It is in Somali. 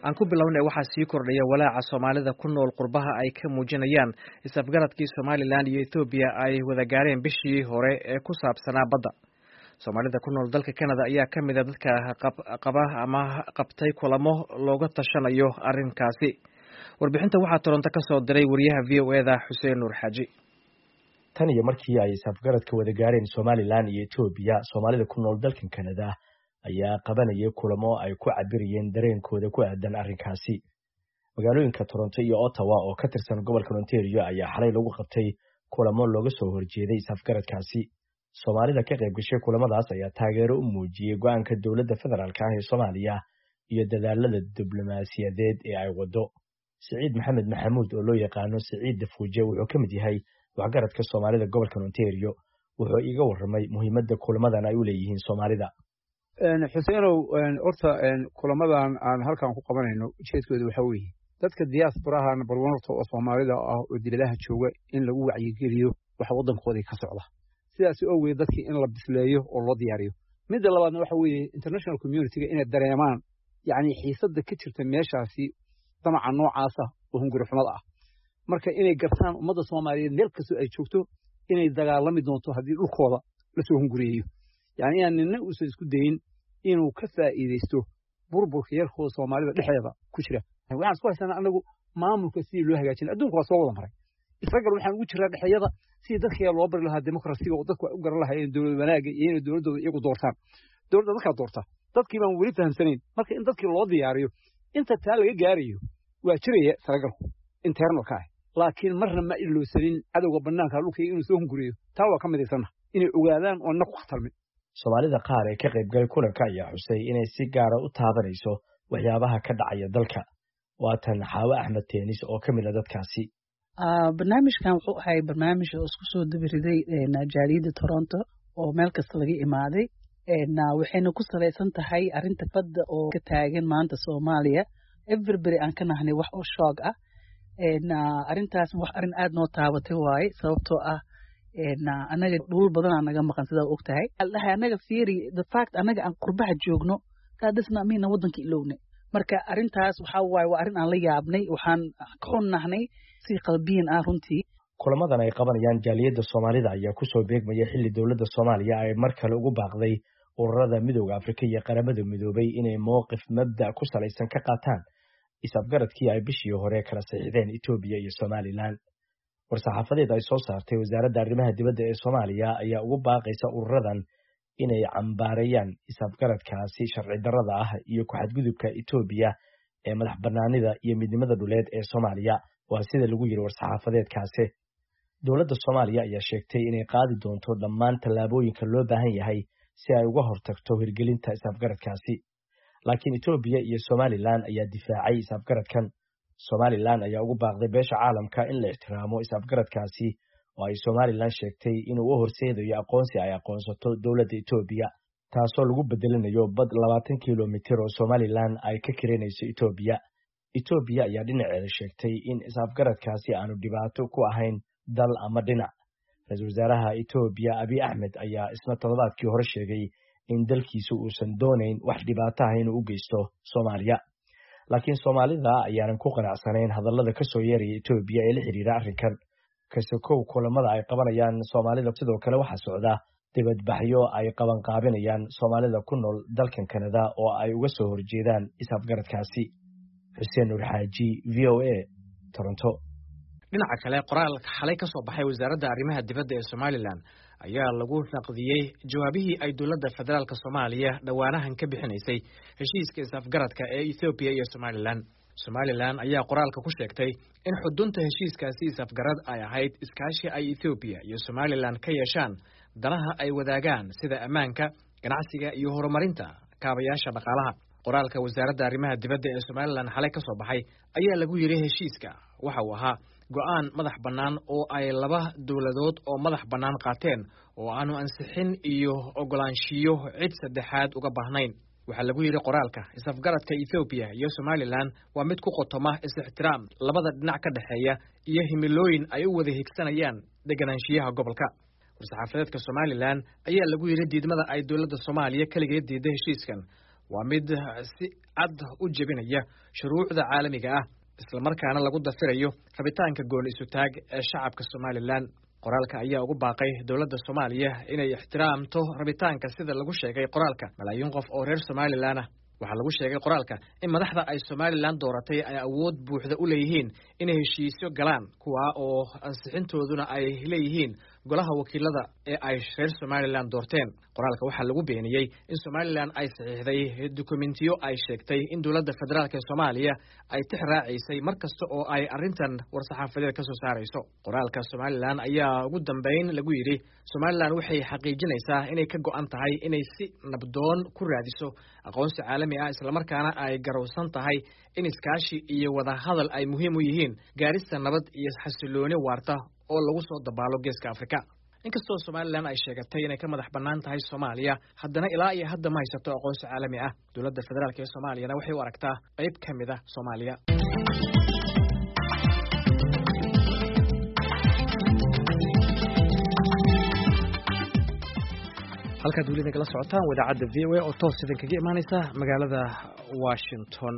Aan ku bilownay, waxaa sii kordhaya walaaca Soomaalida ku nool qurbaha ay ka muujinayaan is-afgaradkii Somalilan iyo Ethoobiya ay wada gaareen bishii hore ee ku saabsanaa badda. Soomaalida ku nool dalka Canada ayaa ka mid a dadka qaba ama qabtay kulamo looga tashanayo arrinkaasi. Warbixinta waxaa Toronto ka soo diray wariyaha VOA-da, Xuseen Nuur Xaaji. Tan iyo markii ay is-afgaradka wada gaareen Somalilan iyo Etoobiya, Soomaalida ku nool dalkan Canada ayaa qabanayay kulamo ay ku cabirayeen dareenkooda ku aadan arrinkaasi. Magaalooyinka Toronto iyo Ottawa oo ka tirsan gobolka Ontario ayaa xalay lagu qabtay kulamo looga soo horjeeday is-afgaradkaasi. Soomaalida ka qayb gashay kulamadaas ayaa taageero u muujiyey go-aanka dowladda federaalk ah ee Soomaaliya iyo dadaalada diblomaasiyadeed ee ay waddo. Siciid Maxamed Maxamuud, oo loo yaqaano Siciid Dafuuje, wuxuu ka mid yahay waxgaradka Soomaalida gobolka Ontario. Wuxuu iiga warramay muhiimadda kulamadan ay u leeyihiin Soomaalida. Xuseenow, horta kulamadan aan halkan ku qabanayno ujeedkooda waxaa weeye dadka diasporaha barwanorta oo Soomaalida ah oo dibadaha jooga in lagu wacyigeliyo waxa waddankoodii ka socda. Sidaas awgeed dadkii in la bisleeyo oo loo diyaariyo. Midda labaadna waxa weeye international community-ga inay dareemaan yacni xiisadda ka jirta meeshaasi, damaca noocaasa oo hunguri xumada ah. Marka inay gartaan ummadda Soomaaliyeed meel kastoo ay joogto inay dagaalami doonto haddii dhulkooda lasoo hunguriyeeyo, yani inaan nina uusan isku dayin inuu ka faa'iidaysto burburka yarkooda Soomaalida dhexdeeda ku jira. Waxaan isku haysanaa anagu maamulka sidii loo hagaajina. Adduunka waa soo wada maray. Isragal waxaan ugu jiraa dhexyada sidii dadka loo bari lahaa demokrasiga oo dadku ay u garan lahaayeen dowlad wanaagga iyo inay dowladdooda iyagu doortaan. Dowladda dadkaa doorta, dadkii baan weli fahamsanayn. Marka in dadkii loo diyaariyo, inta taa laga gaarayo waa jiraya saragalku internalka ah, laakiin marna ma ilowsanin cadowga bannaanka dhulkayga inuu soo hunguriyo. Taa waa ka midaysanna inay ogaadaan oo na ku khatarmin. Soomaalida qaar ee ka qaybgalay kulanka ayaa xusay inay si gaara u taabanayso waxyaabaha ka dhacaya dalka. Waatan Xaawe Axmed Teenis oo ka mid a dadkaasi. Barnaamijkan wuxuu ahay barnaamij oo isku soo dabiriday jaaliyadda Toronto oo meel kasta laga imaaday, waxayna ku salaysan tahay arrinta badda oo ka taagan maanta Soomaaliya. Everybody aan ka nahnay wax oo shoog ah arrintaas, wax arrin aad noo taabatay waaye, sababtoo ah anaga dhul badanaa naga maqan, sidaa og tahay. Dhahay anaga fiiri, the fact anaga aan qurbaha joogno, that does not mean waddanka ilowne. Marka arrintaas waxaa waaye waa arrin aan la yaabnay, waxaan ka xunnahnay si qalbiyan ah runtii. Kulamadan ay qabanayaan jaaliyadda Soomaalida ayaa kusoo beegmaya xilli dowladda Soomaaliya ay mar kale ugu baaqday ururada Midooda Afrika iyo Qaramada Midoobay inay mowqif mabda' ku salaysan ka qaataan is-afgaradkii ay bishii hore kala saxiixdeen Etoobiya iyo Somalilan. War-saxaafadeed ay soo saartay wasaaradda arrimaha dibadda ee Soomaaliya ayaa ugu baaqaysa ururadan inay cambaareeyaan is-afgaradkaasi sharci darrada ah iyo ku-xadgudubka Etoobiya ee madax bannaanida iyo midnimada dhuleed ee Soomaaliya, waa sida lagu yidhi war-saxaafadeedkaasi. Dowladda Soomaaliya ayaa sheegtay inay qaadi doonto dhammaan tallaabooyinka loo baahan yahay si ay uga hortagto hirgelinta is-afgaradkaasi, laakiin Etoobiya iyo Somalilan ayaa difaacay is-afgaradkan. Somalilan ayaa ugu baaqday beesha caalamka in la ixtiraamo is-afgaradkaasi oo ay Somalilan sheegtay inuu u horseedayo aqoonsi ay aqoonsato dowladda Etoobiya, taasoo lagu bedelinayo bad 20 kilomitir oo Somalilan ay ka kiranayso Etoobiya. Etoobiya ayaa dhinaceeda sheegtay in is-afgaradkaasi aanu dhibaato ku ahayn dal ama dhinac. Ra-iisul wasaaraha Etoobiya Abiy Axmed ayaa isna toddobaadkii hore sheegay in dalkiisu uusan doonayn wax dhibaato ah inuu u geysto Soomaaliya, laakiin Soomaalida ayaanan ku qanacsanayn hadallada ka soo yeeraya Etoobiya ee la xiriira arrinkan. Kasokow kulamada ay qabanayaan Soomaalida, sidoo kale waxaa socda dibadbaxyo ay qabanqaabinayaan Soomaalida ku nool dalkan Kanada oo ay uga soo horjeedaan is-afgaradkaasi. Xuseen Nuur Xaaji, VOA, Toronto. Dhinaca kale, qoraal xalay ka soo baxay wasaaradda arrimaha dibadda ee Somalilan ayaa lagu naqdiyey jawaabihii ay dowladda federaalk Soomaaliya dhowaanahan ka bixinaysay heshiiska is-afgaradka ee Ethoobiya iyo Somalilan. Somalilan ayaa qoraalka ku sheegtay in xudunta heshiiskaasi is-afgarad ay ahayd iskaashi ay Ethoobiya iyo Somalilan ka yeeshaan danaha ay wadaagaan, sida ammaanka, ganacsiga iyo horumarinta kaabayaasha dhaqaalaha. Qoraalka wasaaradda arrimaha dibadda ee Somalilan xalay ka soo baxay ayaa lagu yidhi heshiiska waxa uu ahaa go'aan madax bannaan oo ay laba dowladood oo madax bannaan qaateen oo aanu ansixin iyo ogolaanshiyo cid saddexaad uga baahnayn. Waxaa lagu yidhi qoraalka, is-afgaradka Ethoobiya iyo Somalilan waa mid ku qotoma is-ixtiraam labada dhinac ka dhexeeya iyo himilooyin ay u wada higsanayaan deganaanshiyaha gobolka. War-saxaafadeedka Somalilan ayaa lagu yidhi diidmada ay dowladda Soomaaliya keligeed diiday heshiiskan Waa mid si cad u jebinaya shuruucda caalamiga ah, islamarkaana lagu dafirayo rabitaanka gooni isutaag ee shacabka Somalilan. Qoraalka ayaa ugu baaqay dowladda Soomaaliya inay ixtiraamto rabitaanka, sida lagu sheegay qoraalka, malaayiin qof oo reer Somalilan ah. Waxaa lagu sheegay qoraalka in madaxda ay Somalilan dooratay ay awood buuxda u leeyihiin inay heshiisyo galaan, kuwa oo ansixintooduna ay leeyihiin golaha wakiilada ee ay reer Somalilan doorteen. Qoraalka waxaa lagu beeniyey in Somalilan ay saxiixday dukumentiyo ay sheegtay in dowladda federaalk ee Soomaaliya ay tix raacaysay mar kasta oo ay arrintan war-saxaafadeed ka soo saarayso. Qoraalka Somalilan ayaa ugu dambeyn lagu yidhi: Somalilan waxay xaqiijinaysaa inay ka go'an tahay inay si nabdoon ku raadiso aqoonsi caalami ah, islamarkaana ay garowsan tahay in iskaashi iyo wadahadal ay muhiim u yihiin gaarista nabad iyo xasilooni waarta oo lagu soo dabaalo Geeska Afrika. Inkastoo Somalilan ay sheegatay inay ka madax bannaan tahay Soomaaliya, haddana ilaa iyo hadda ma haysato aqoonsi caalami ah. Dowladda federaalk ee Soomaaliyana waxay u aragtaa qayb ka mid ah Soomaaliya. Halkaad weli nagala socotaan wadaacadda VOA oo toos idinkaga imaaneysa magaalada Washington.